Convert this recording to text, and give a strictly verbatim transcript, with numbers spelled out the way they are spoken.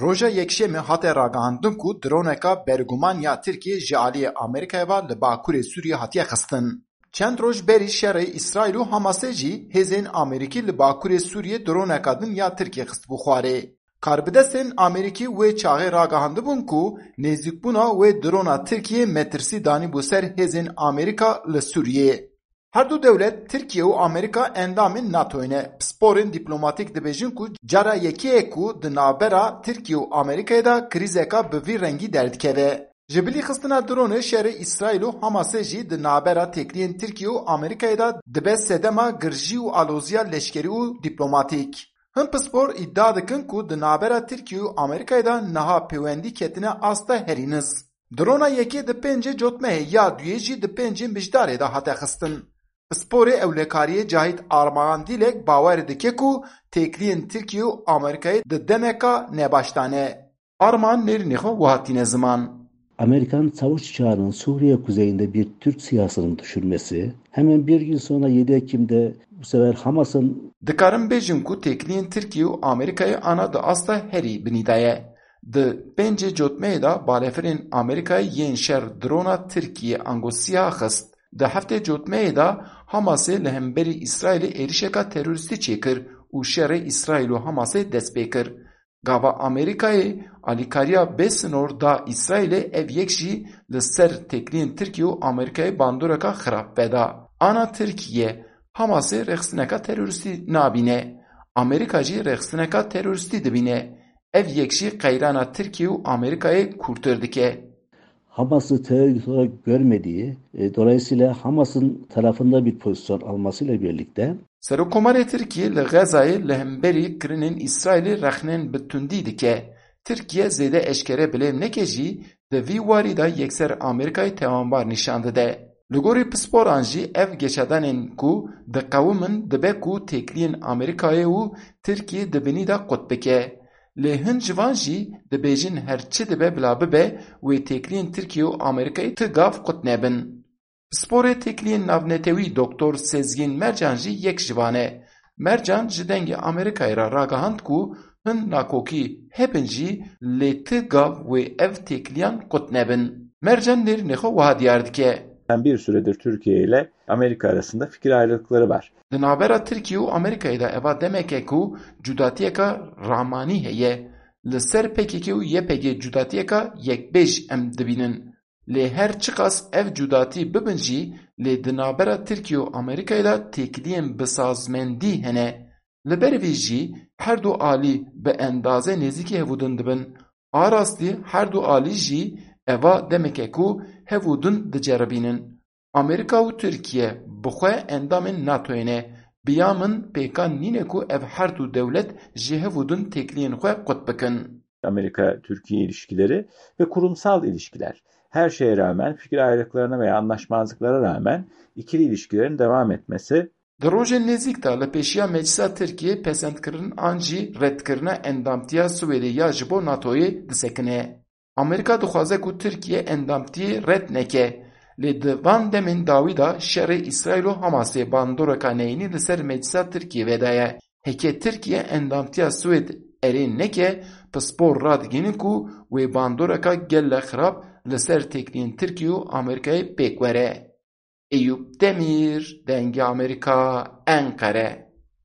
Roja Yekşemê hate ragihandin ku droneka berguman ya Tirkiyê ji aliyê Amerîkayê ve li Bakurê Sûriyê hatiye xistin. Çend roj berî şerê Îsraîl û Hamasê jî hêzên Amerîkî li Bakurê Sûriyê droneka din ya Tirkiyê xistibû xwarê. Karbidestên Amerîkî wê çaxê ragihandibûn ku nêzîkbûna wê drona Tirkiyê metirsî danîbû ser hêzên Amerîka li Sûriyê. Her du dewlet, Tirkiye û Amerîka, endamên NATOyê ne. Pisporên dîplomatîk dibêjin ku cara yekê ye ku di navbera Tirkiye û Amerîkayê de krîzeka bi vî rengî derdikeve. Ji bilî xistina dronê şerê Îsraîl û Hamasê jî di navbera têkiliyên Tirkiye û Amerîkayê de dibe sedema girjî û aloziya leşkerî û dîplomatîk. Hin pispor îdia dikin ku di navbera Tirkiye û Amerîkayê de niha pêwendî ketine asta herî niz. Drona yekê di pêncê Cotmehê ya duyê jî di pêncê Mijdarê de hate xistin. Pisporê ewlekariyê Cahit Armağan Dilek bawer dike ku têkiliyên Tirkiye û Amerîkayê di demeka nebaş de ne. Arman nêrînê xwe wiha tîne ziman. Amerikan savaş uçağının Suriye kuzeyinde bir Türk SİHA'sının düşürmesi, hemen bir gün sonra yedi Ekim'de bu sefer Hamas'ın Dikarin bêjin ku têkiliyên Tirkiye û Amerîkayê ana di asta herî binî de ye. Di pêncê Cotmehê de balefirên Amerîkayê yên şer drona Tirkiye ango SİHA xist. Di heftê Cotmehê de Hamasê li hemberî Îsraîlê êrişeka terorîstî çêkir û şerê Îsraîl û Hamasê dest pê kir. Gava Amerîkayê alîkariya bê sinor da Îsraîlê, ev yek jî li ser têkiliyên Tirkiye û Amerîkayê bandoreka xirab veda. Ana Tirkiye Hamasê rêxistineka terorîstî nabîne. Amerîka jî rêxistineka terorîstî dibîne. Ev yek jî qeyrana Tirkiye û Amerîkayê kûrtir dike. Hamas'ı terör örgütü olarak görmediği, e, dolayısıyla Hamas'ın tarafında bir pozisyon almasıyla birlikte Serokkomarê Tirkiyê li Xezayê li hemberî kirinên Îsraîlê rexnên bi tundî dike. Tirkiye zêde eşkere bilêv neke jî, di vî warî de yekser Amerîkayê tewanbar nîşan dide. Li gorî pisporan jî ev geşedanên ku diqewimin dibe ku têkiliyên Amerîkayê û Tirkiyê di binî de qut bike. Lê hin ji van jî dibêjin her çi dibe bila bibe, wê têkiliyên Tirkiye û Amerîkayê ti gav qut nebin. Pisporê têkiliyên navnetewî Doktor Sezgîn Mercan jî yek ji van e. Mercan ji Dengê Amerîkayê re ragihand ku hin nakokî hebin jî, lê ti gav wê ev têkiliyan qut nebin. Mercan nêrînê xwe wiha diyar dike. Bir süredir Türkiye ile Amerika arasında fikir ayrılıkları var. Di navbera Tirkiye û Amerîkayê de eva demeke ku cudatiyeka ramanî heye. Li ser P K K û Y P G cudatiyeka yekbêj em dibînin. Lê her çiqas ev cudatî bibin jî, lê di navbera Tirkiye û Amerîkayê de têkiliyên bi sazmendî hene. Li ber vî jî her du alî bi endaze nêzîkî hevûdin dibin. A rastî her du alî jî eva demeke ku hevûdin diceribînin. Amerîka û Tirkiye bi xwe endamên NATOyê ne. Bi ya min pêkan nîne ku ev her du dewlet ji hevûdin têkiliyên xwe qut bikin. Amerika-Türkiye ilişkileri ve kurumsal ilişkiler. Her şeye rağmen, fikir ayrılıklarına veya anlaşmazlıklara rağmen ikili ilişkilerin devam etmesi Di rojên nêzîk de li pêşiya Meclisa Tirkiyê pesendkirin an jî redkirina endamtiya Swêdê ya ji bo NATOyê disekine. Amerîka dixwaze ku Tirkiye endamtiyê red neke, lê di van demên dawî de şerê Îsraîl û Hamasê bandoreka neyînî li ser Meclisa Tirkiyê vedaye. Heke Tirkiye endamtiya Swêd erê neke, pispor radigihînin ku wê bandoreka gelle xirab li ser têkiliyên Tirkiye û Amerîkayê pêk were. Eyûp Demîr, Dengê Amerîka, Enqere.